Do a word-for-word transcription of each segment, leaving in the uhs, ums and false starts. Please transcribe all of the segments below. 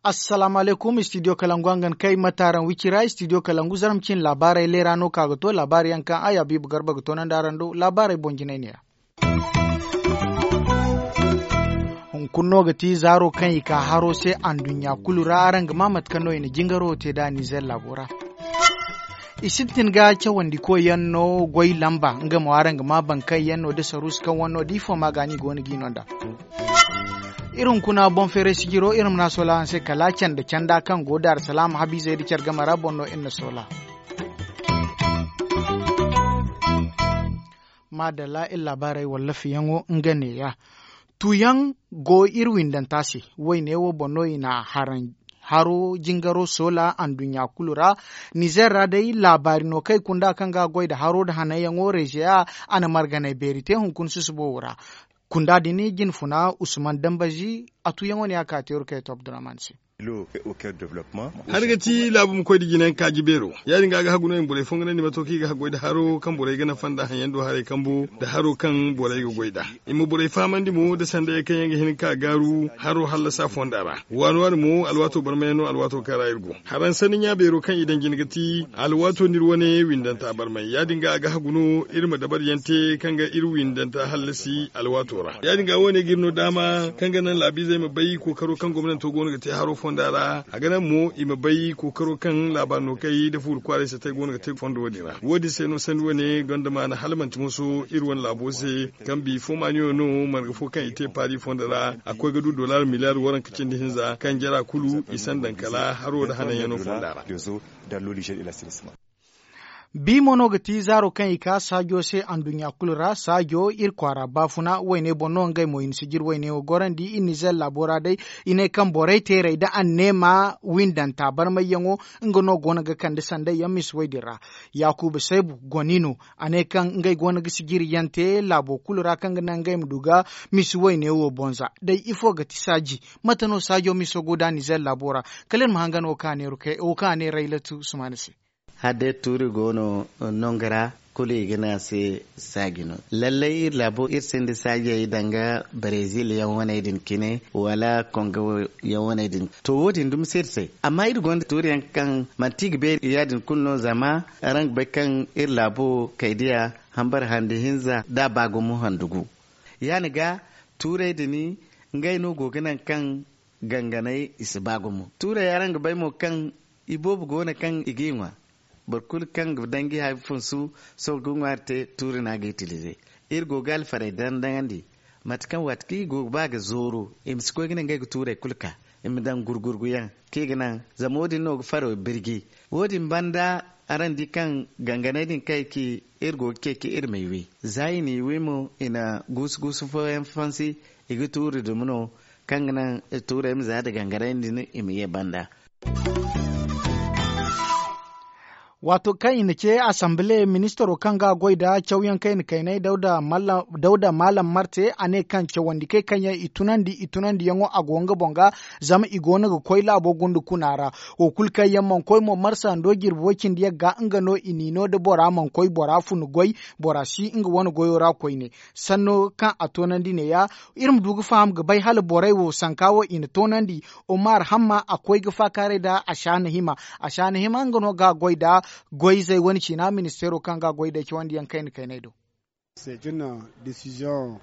Assalaamu alaykum, studio kalangu a nga ni kay mate araŋ wicira studio kalangu zarma cine laabaarey leera no ka ga to laabaari yaŋ kaŋ a ya biiba garba ga toonandi araŋ do laabaarey boŋ jinay ne ya. Hunkuna no ga ti zaaro kaŋ i ka haro se anduɲɲa kulu ra araŋ ga ma mate kaŋ no i na jingaro te nd'a nizer laabo ra. I sintin ga cawandi koy yaŋ no goy lamba nga mo araŋ ga ma bankay yaŋ no da saruusi kaŋ wane no da ifo ma ga ni go no g'i no nd'a. Iri hunkuna boŋ feeray sijiro iri ma na a soola araŋ se kala canda canda kaŋ go daarsalaama habiizey nda care game ra boŋ no iri na soola. Maadalla iri laabaarey wallafiyaŋo nga neeya. Tuuyaŋ go iri windanta se. Wayne wo boŋ no i na haro jingaro soola anduɲɲa kulu ra. Nizer ra day laabaari no kaŋ i kunda kaŋ ga goy nda haro nda hananyaŋo rezeya a na marganay beeri te hunkuna susubo wo ra. Kunda din jinfuna usman dambazi a tuuyaŋo ne a ka teeru kay to abdurrahman se. Hari ga ti laabu ma koy nda jinayaŋ kaaji beero. Ya- din ga a ga hagu no i ma borey fonganandi mato kaŋ i ga haggoy nda haro kaŋ borey ga nafa nda haŋyaŋ do haray kambu nda haro kaŋ borey ga goy nd'a. I ma borey fahamandi mo nda sanday kaŋ yaŋ ga hin ga ka gaaru haro hallasa fonda ra. Waani waani mo alwaato barmayaŋ no alwaato kaŋ ra iri go. Haraŋ sanni ɲa beero kaŋ i daŋ jina ga ti alwaato no iri wane windanta barmay ya- din ga a ga hagu no iri ma dabariyaŋ te kaŋ ga iri windanta hallasi alwaato ra. Ya- din ga wo- ne ga iri no daama kaŋ ga naŋ laabiizey ma bay kookaro kaŋ gomnanto go no ga te haro fonda ra. A ga naŋ mo i ma bay kookaro kaŋ laabaari no kay nda fuuri kwaaray satay go no ga te fondo wo- din ra. Wo- din se no sanni wane gonda maana hala manti moso iri wane laabo se kaŋ bifo maaniyo no marga fo kaŋ i te paari fondo ra a koy ga du dollar miliyaar waranka cindi hinza kaŋ jara kulu i sandan kala haro nda hananyaŋo fonda ra. Bi mo no ga ti zaaro kaŋ i ka saajo se anduɲɲa kulu ra saajo iri kwaara baafuna wayne boŋ no ngey mo i na sijir wayne wo gorandi iri nizer laabo ra day. I ne kaŋ borey teerey nda anneema windanta barmayyaŋo nga no go no ga kande sanday yaŋ misi way din ra. Yaakuba saybu goni no a ne kaŋ ngey go no ga sijiryaŋ te laabo kulu ra kaŋ ga naŋ ngey ma du ga misi wayne wo bonza day ifo ga ti saaji? Mate no saajo miso go nda nizer laabo ra kala iri ma hangan wo kaŋ a ne raylatu sumana se. Hala day tuuri go no nangu ra kulu i ga ne a se saaji no. Lallay iri laabo iri sinda saajey danga brezil yaŋ waney din cine wala kongo yaŋ waney din. To wo- din dumi si iri se amma iri gonda tuuriyaŋ kaŋ manti i ga beeri ya- din kulu no zama araŋ ga bay kaŋ iri laabo kaydiya hambar handi hinza da ba gumo handu gu. Ya- ni ga tuurey din ngey no go ga naŋ kaŋ ganganay i si ba gumo tuurey araŋ ga bay mo kaŋ iboobo go no kaŋ i g'i ŋwa. Boro kulu kaŋ ga danji hari funsu sohõ ga ŋwaari te tuuri no a ga itilize. Iri go ga alfarey daŋ daŋandi mate kaŋ waati kaŋ i go ga ba ga zooru i ma si koy ga ne ngey ga tuurey kulu ka i ma daŋ gurgurguyaŋ kaŋ i ga naŋ zama wo- din no ga faro birji. Wo- din banda araŋ di kaŋ ganganey din kaŋ ay ci iri go ga ceeci iri m'ay wi za i n'i wi mo i na guusu guusu fooyaŋ fansi i ga tuuri dumi no kaŋ ga naŋ tuurey ma za nda gangaray din i ma ye banda. Waato kaŋ i na ce asanbile ministaro kaŋ ga a goy nda cawyaŋ kaŋ i na kaynay dawda maalam marte a ne kaŋ cawandikey kaŋ yaŋ i tunandi i tunandiyaŋo a go nga boŋ ga. Zama i go no ga koy laabo gunda kuna ra wo kulu kaŋ yaŋ mana koy mo marsa ndo jirbi way cindi yaŋ ga nga no i n'i no nda bora mana koy bora fun goy bora si nga wane goyo ra koyne. Sanno kaŋ a toonandi neeya iri ma du ga faham ga bay hala borey wo sanka wo i na toonandi. Omar hamma a koy ga faakaaray nda a shaana hima a shaana hima nga no ga a goy nda goyzey wane ciina ministeero kaŋ ga a goy nda ay cawandi yaŋ kayna kaynay do.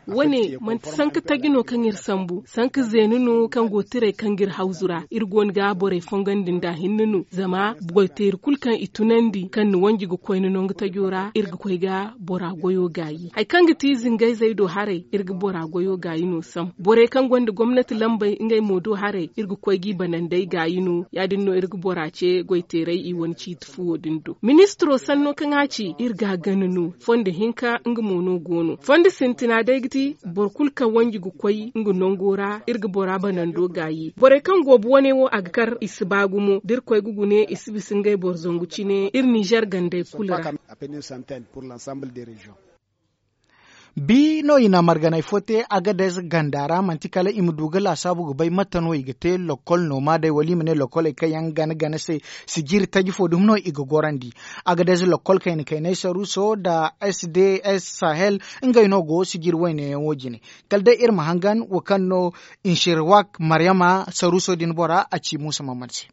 Wane manti sanka taji no kaŋ iri sambu sanka zeenu no kaŋ go tiray kaŋ ga iri hawzu ra iri go no ga borey fongandi nda hinne no zama goyteeri kulu kaŋ i tunandi kaŋ ni wanji ga koy ni nangu tajo ra iri ga koy ga bora goyo gaayi hari kaŋ ga ti zingayzey do haray iri ga bora goyo gaayi no sam borey kaŋ gonda gomnati lambey ngey mo do haray iri ga koy g'i banandey gaayi no ya- din no iri ga bora ce goyteerey i wane ciiti fuwo din do ministiro sanno kaŋ a ci iri ga a gana no fondo hinka nga mo no go no fondo sintina day ga ti boro kulu kaŋ wanji ga koy nga nango ra iri ga bora banando gaayi borey kaŋ goobu wane wo a ga kar i si ba gumo da iri koy ga gune i si bisa ngey boro zangu cine iri ninzeer gandey kulu ra. Bi no i na marganay fo te agadez ganda ra manti kala i ma du ga laasaabu ga bay mate no i ga te lokkol no ma day wala i ma ne lokkoley kaŋ yaŋ gana gana se. Sijiri taji fo dumi no i ga gorandi. Agadez lokkol kayna kaynay saruso nda s d s sahel ngey no go sijiri wayne yaŋo jine. Kala day iri ma hangan wo kaŋ no inshirwak maryama saruso din bora a ci muusa mamman se.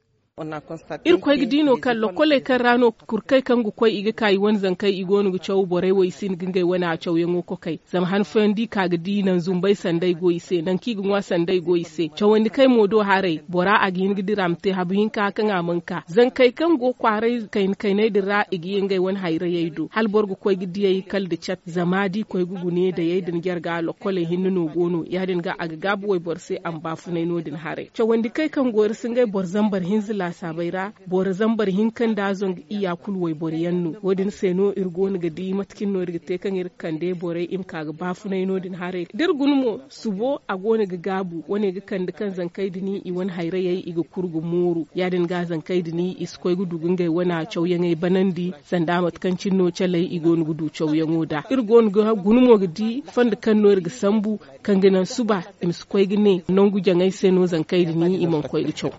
Iri koy ga di no kaŋ lokkoley kaŋ ra no kurkey kaŋ ga koy i ga ka i wane zankey i go no ga caw borey wo i si hin ga ngey wane a cawyaŋo kokay. Zama han fooyaŋ da i ka ga di naŋ zumbey sanda i go i se naŋ kaŋ i ga ŋwa sanda i go i se cawandi kay mo do haray bora a ga hin ga dira a ma te habu hinka kaŋ a mana ka zankey kaŋ go kwaaray kayna kayney din ra i ga ye ngey wane hayrayey do hala boro ga koy ga diyey kala nda cat zama da i koy ga gune dayey din jarga lokkoley hinne no go no ya- din ga a ga gaabu wayboro se a ma baafunay no- din haray cawandi kay kaŋ go iri si ngey boro zambar hinza laasaabey ra. Boro zambar hinka nda zangu iyya kulu wayboro yaŋ no wo- din se no iri go no ga di mate cine no iri ga te kaŋ iri ga kande borey i ma ka ga baafunay no- din haray da iri guna mo subo a go no ga gaabu wane ga kande kaŋ zankey din i wane hayrayey i ga kuru ga mooru ya- din ga zankey din i si koy ga du ga ngey wane cawyaŋey banandi sanda mate kaŋ cine no caley i go no ga du cawyaŋo nd'a iri go no ga guna mo ga di fondo kaŋ no iri ga sambu kaŋ ga naŋ suba i ma si koy ga ne nangu jaŋey se no zankey din i mana koy ga caw.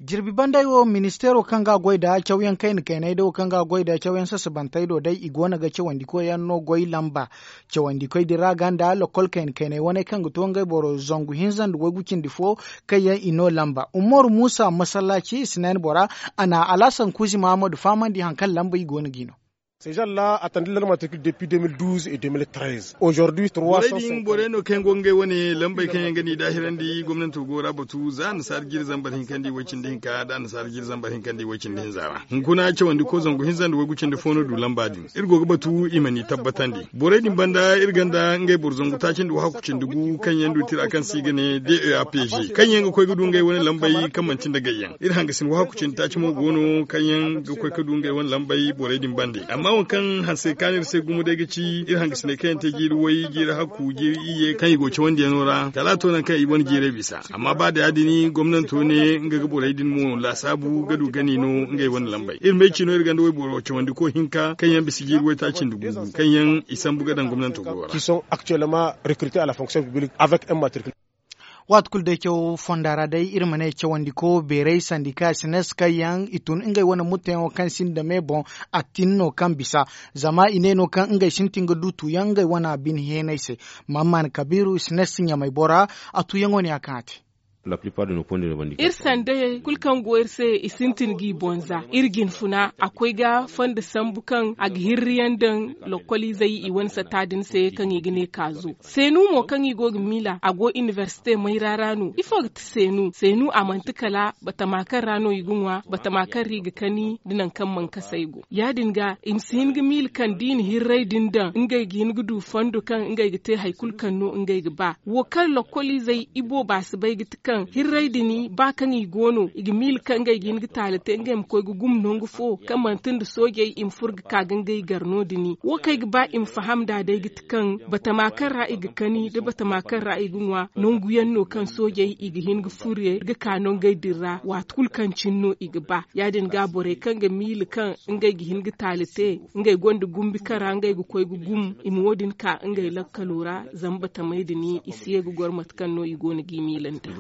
Jirbi banday wo ministeero kaŋ ga a goy nda cawyaŋ kayna kaynay day wo kaŋ ga a goy nda cawyaŋ sasabantey do day i go no ga cawandi koyyaŋ no goy lamba. Cawandi koy din ra ga nda lokkol kayna kaynay wane kaŋ ga to ngey boro zangu hinza nda waygu cindi fo kaŋ yaŋ i no lamba umaru muusa masallaaci i si naani bora a na alhasan kuuzi mahammadu fahamandi hari kaŋ lamba i go no g'i no. Sežalla a tandi larmatrikil depi deux mille douze et deux mille treize aujourd'hui trois cent cinquante. Borey no kaŋ yaŋ go ga ngey wane lambey kaŋ yaŋ ga n'i daahirandi gomnanto go ra batu za annasaara jiiri zambar hinka nda i way cindi hinka nda annasaara jiiri zambar hinka nda i way cindi hinza ra. Hunkuna cawandi ko zangu hinza nda waygu cindi fo no du lamba din iri go ga batu i ma n'i tabbatandi borey din banda iri gonda ngey boro zangu taaci nda wahakku cindi gu kaŋ yaŋ du tira kaŋ se i ga ne d e a p g kaŋ yaŋ ga koy ga du ngey wane lambey kaŋ manti nda gayyaŋ iri hangasin wahakku cindi taaci mo go no kaŋ yaŋ ga koy ga du ngey wane lambey borey din bande amma waŋ kaŋ hanse kaanu iri se gumo day ga ci iri hangasiney kaŋ yaŋ te jiiri way jiiri hakku jiiri iyye kaŋ i go cawandiyaŋo ra kala a to nangu kaŋ i wane jiirey bisa amma ba da ya- din gomnanto ne nga ga borey din mo laasaabu ga du gani no ngey wane lambey iri ma ay ci no iri gonda wayboro cawandi ko hinka kaŋ yaŋ bisa jiiri waytaaci nda guugu kaŋ yaŋ i sambu ga daŋ gomnanto go ra. Waati kulu day caw fonda ra day iri ma ne cawandi ko beeray sandika sines kaŋ yaŋ i tun ngey wane mutteyaŋo kaŋ sinda me boŋ. A tin no kaŋ bisa zama i ne no kaŋ ngey sintin ga du tuuyaŋ ngey wane bine heenay se. Mammana kabiiru sines ɲamay bora a tuuyaŋo ne ya kaŋ a te. Iri sandayey kulu kaŋ go iri se i sintin g'i boŋ za iri jinfuna a koy ga fondo sambu kaŋ a ga hirriyaŋ daŋ lokoliizey i wane satta din se kaŋ i ga ne kaazo. Seenu mo kaŋ i go ga miila a go inibersite mayra ra no ifo ga ti seenu seenu a manti kala batama kaŋ ra no i ga ŋwa batama kaŋ ra i ga kani nda nangu kaŋ mana kasa ay go ya- din ga i ma si hin ga miila kaŋ da i na hirray din daŋ ngey ga hin ga du fondo kaŋ ngey ga te hari kulu kaŋ no ngey ga ba wo kaŋ lokoliizey ibooba si bay ga ti kaŋ hirray din ba kaŋ i go no i ga miila kaŋ ngey ga hin ga taali te ngey ma koy ga gumo nangu fo kaŋ manti nda soojey i ma furo ga ka ga ngey gar no- din wo kaŋ ay ga ba i ma faham nd'a day ga ti kaŋ batama kaŋ ra i ga kani nda batama kaŋ ra i ga ŋwa nangu yaŋ no kaŋ soojey i ga hin ga furo ga ka nangey din ra waati kulu kaŋ cine no i ga ba ya- din ga borey kaŋ ga miila kaŋ ngey ga hin ga taali te ngey gonda gumbi kaŋ ra ngey ga koy ga gumo i ma wo- din ka ngey lakkalo ra zama batamey din i si ye ga goro mate kaŋ no i go no g'i miila nda.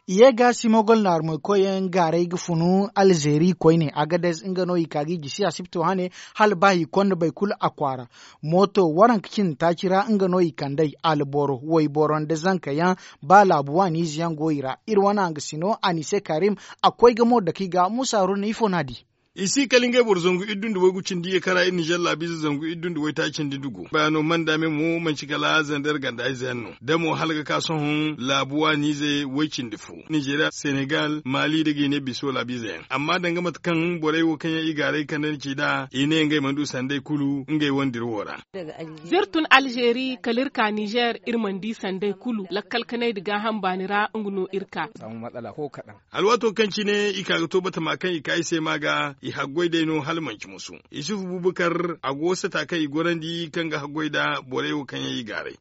Ye ga simogol naarumay koyyaŋ gaaray ga funu alzeeri koyne agadez nga no i ka ga i gisi asibto hane hala ba i konda boro kulu a kwaara. Mooto waranka cindi taaci ra nga no i kand'ey alboro wayboro nda zanka yaŋ ba laabu waaniize yaŋ go i ra iri wane hangasino anise karim. A koy ga mo dake i ga muusa haruna ifo no a di? I si kala ngey boro zangu iddu nda waygu cindi ye kaŋ ra iri nizer laabiize zangu iddu nda waytaaci nda dugu bayaano manda me mo manci kala zander ganda ize yaŋ no da mo hala ga ka sohõ laabu waaniize way cindi fo nizeeriya senegal maali nda gine biso laabiize yaŋ amma danga mate kaŋ borey wo kaŋ yaŋ i gaaray kandandi ci nd'a i ne ngey mana du sanday kulu ngey wane dira wo ra. Z'iri tun alzeeri kala iri ka nizer iri mana di sanday kulu lakkal kanay nda gaaham baani ra nga no iri ka. Alwaato kaŋ cine i ka ga to batama kaŋ i ka i se ma ga. i haggoy day no hala manci musu. Isufu bubakar a go sata kaŋ i gorandi kaŋ ga haggoy nda borey wo kaŋ yaŋ i gaaray.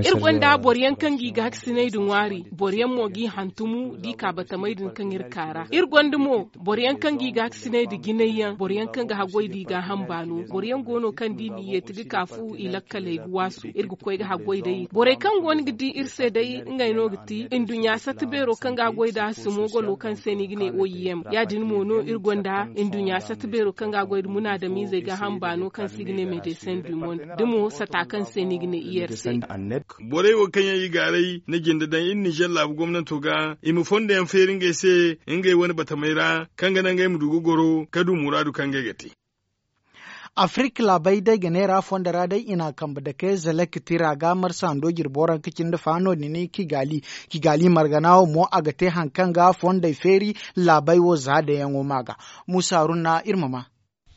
Iri gonda boro yaŋ kaŋ ga i gaakasinay nda ŋwaari, boro yaŋ mo g'i hantumu da i ka batamey din kaŋ iri ka ra. Iri gonda mo boro yaŋ kaŋ ga i gaakasinay nda jinay yaŋ, boro yaŋ kaŋ ga haggoy nda i gaaham baano, boro yaŋ go no kaŋ da i n'i yeeti ga ka fu i lakkaley ga waasu. Iri ga koy ga haggoy day borey kaŋ go no ga di iri se day ngey no ga ti nduɲɲa sata beero kaŋ ga a goy nda simogolo kaŋ se no i ga ne o i m. Ya- din mo no iri gonda nduɲɲa sata beero kaŋ ga a goy nda munaadamiizey gaaham baano kaŋ se i ga ne medecin du monde, da mo sata kaŋ se no i ga ne i r c. Borey wo kaŋ yaŋ i gaaray na jinde daŋ iri nizer laabu gomnanto ga i ma fondo yaŋ feeri ngey se ngey wane batamey ra, kaŋ ga naŋ ngey ma du ga goro ka du muraadu kaŋ ngey ga te. Afirik laabey day ga neera fondo ra day i na a kambe dake zalak tira ga marsa hando jirbi waranka cindi fa no- din kigali. Kigali margana wo mo a ga te hari kaŋ ga fondey feeri laabey wo za dayaŋo ma ga. Musa haruna iri ma ma.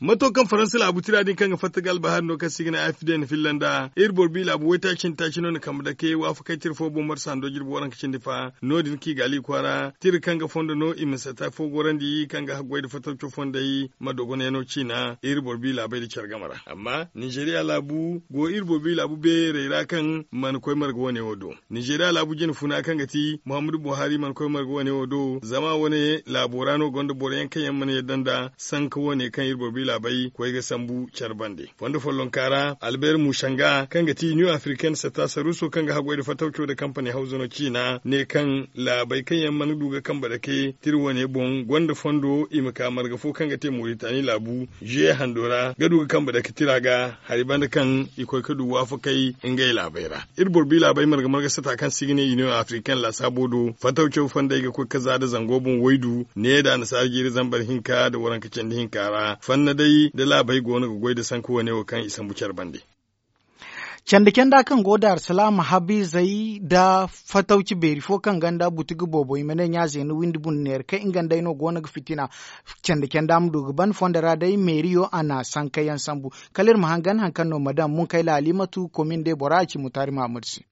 Mato kaŋ faransa laabu tira din kaŋ ga fatta ga albahari no kaŋ se i ga ne afden filla nda iri boro bi laabu waytaaci cindi taaci no na kambe dake waafakay tira fo boŋ marsa hando jirbi waranka cindi fa no- din kigali kwaara tira kaŋ ga fondo no i ma sata fo gorandi kaŋ ga haggoy nda fatawco fondey ma dogonayano ciina iri boro bi laabey nda care game ra. Amma nizeriya laabu go iri boro bi laabu beerey ra kaŋ mana koy marga wane wo do. Nizeriya laabu jine funa kaŋ ga ti muhammadu buhari mana koy marga wane wo do zama wane laabo ra no gonda boro yaŋ kaŋ yaŋ mana yadda nda sanka wane kaŋ iri boro bi laabey koy ga sambu care bande. Fondo follonka ra albert musanga kaŋ ga ti new african sata saruso kaŋ ga haggoy nda fatawco nda kampani hawza no ciina ne kaŋ laabey kaŋ yaŋ mana du ga kambe dake tira wane boŋ gonda fondo i ma ka marga fo kaŋ ga te moritani laabu juye hando ra ga du ga kambe dake tira ga hari banda kaŋ i koy ga du waafakay ngey laabey ra. Iri boro bi laabey marga marga sata kaŋ se i ga ne union african laasaabo do fatawco fondey ga koy ga za nda zango boŋ waydu ne nda annasaara jiiri zambar hinka nda waranka candi hinka ra fanna day nda laabey go no ga goy nda sanka wane wo kaŋ i sambu care bande. Candi canda kaŋ go daarsalaama habiizey nda fatawci beeri fo kaŋ gonda butigi boobo i ma ne ɲaazeeni windi bundu neera kaŋ nga nd'ey no go no ga fitina. Candi canda ma du ga ban fondo ra day meeriyo a na sankayaŋ sambu. Kala iri ma hangan hari kaŋ no madam munkayla halimatu komin day bora a ci mutaari mahamud se.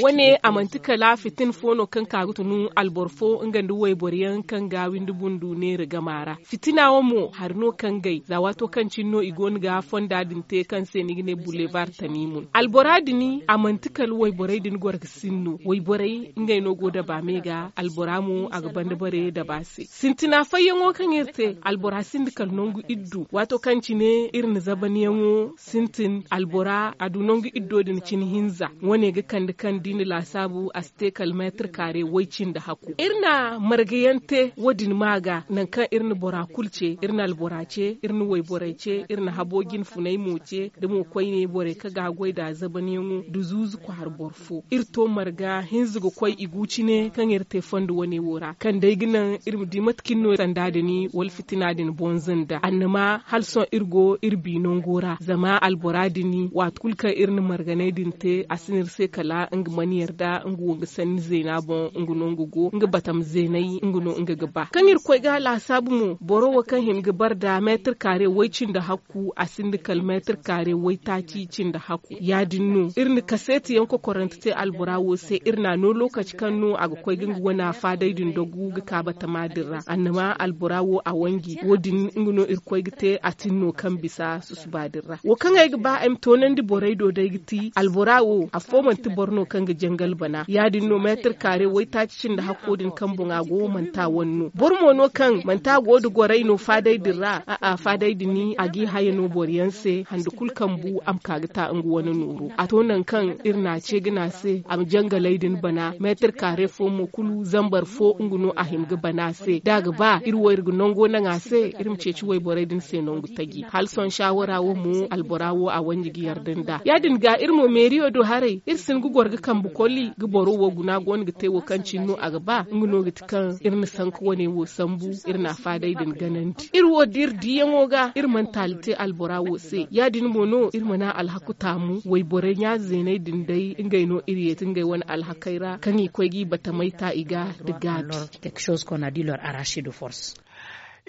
Wane a manti kala fitin fo no kaŋ ka ga tunu alboro fo nga nda wayboro yaŋ kaŋ ga windi bundu neera gama ra. Fitina wo mo hari no kaŋ gay za waato kaŋ cine no i go no ga fonda din te kaŋ se no i ga ne bulebar tamimun albora din a manti kala wayborey din goro ga sinno wayborey ngey no go daba me ga albora mo a ga banda bare daba se sintina fayyaŋo kaŋ iri te albora sinda kala nangu iddu waato kaŋ cine iri na zabaniyaŋo sintin albora a du nangu iddo din cine hinza wane ga kande kaŋ da i na laasaabu a si te kala meetir kaare way cindi hakku iri na margayaŋ te wo- din ma ga nangu kaŋ iri na bora kulu ce iri na albora ce iri na wayborey ce iri na habo jinfunay mo ce da mo koyne borey kaŋ ga a goy nd'a zabaniyaŋo nda zuuzu kwaara boro fo iri to marga hinza ga koy i gu cine kaŋ iri te fondo wane wo ra kaŋ day ga naŋ iri ma di mate kaŋ iri no sanda din wala fitina din bonza nda annama hala sohõ iri go iri bi nango ra zama albora din waati kulu kaŋ iri na marganay din te a si no iri se kala nga mana yarda nga wo nga sanni zeena boŋ nga no nga go nga batam zeenay nga no nga ga ba kaŋ iri koy ga laasaabu mo boro wo kaŋ hima ga bare nda meetir kaare way cindi hakku a sinda kala meetir kaare waytaaci cindi hakku ya- din no iri na kaseeti yaŋ kokorante te albora wo se iri n'a no lookaci kaŋ no a ga koy ga nga wana faaday din dogu ga ka batama din ra annama albora wo a wanji wo- din nga no iri koy ga te a tin no kaŋ bisa susuba din ra wo kaŋ ay ga ba ay ma toonandi borey do day ga ti albora wo afo manti boro no kaŋ ga jangal bana ya- din no meetir kaare waytaaci cindi hakko din kaŋ boŋa go manti a wane no boro mo no kaŋ manti a go nda gorey no faaday din ra a'a faaday din a g'i haya no boro yaŋ se hande kulu kaŋ bu a ma ka ga ta nga wane nooru a to nangu kaŋ iri n'a ce ga ne a se a ma jangaley din bana meetir kaare fo mo kulu zambar fo nga no a hima ga bana a se da a ga ba iri wo iri ga nango naŋ a se iri ma ceeci wayborey din se nangu taji hala sohõ saawara wo mo albora wo a wanji ga yarda nd'a ya- din ga iri mo meeriyo do haray iri si hin ga goro ga kambe koli ga boro wo guna go no ga te wo kaŋ cine no a ga ba nga no ga ti kaŋ iri na sanka wane wo sambu iri na a faadey din ganandi iri wo da iri diiyaŋo ga iri mana taali te albora wo se ya- din mo no iri mana alhaku taamu wayborey ɲa-zeeney din day ngey no iri yeeti ngey wane alhakey ra kaŋ i koy g'i batamey ta i ga nda gaabi.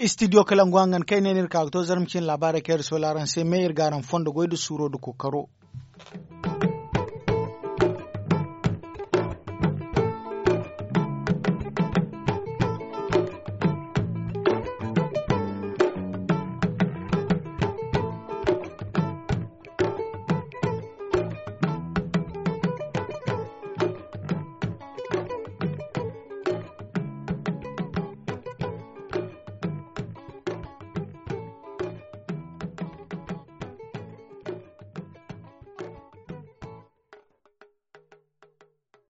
Studio kalangu hangan kaŋ ay ne no iri ka ga to zarma cine laabaarey kaŋ iri soola araŋ se me iri ga araŋ fondo goy nda suuro nda kookaro.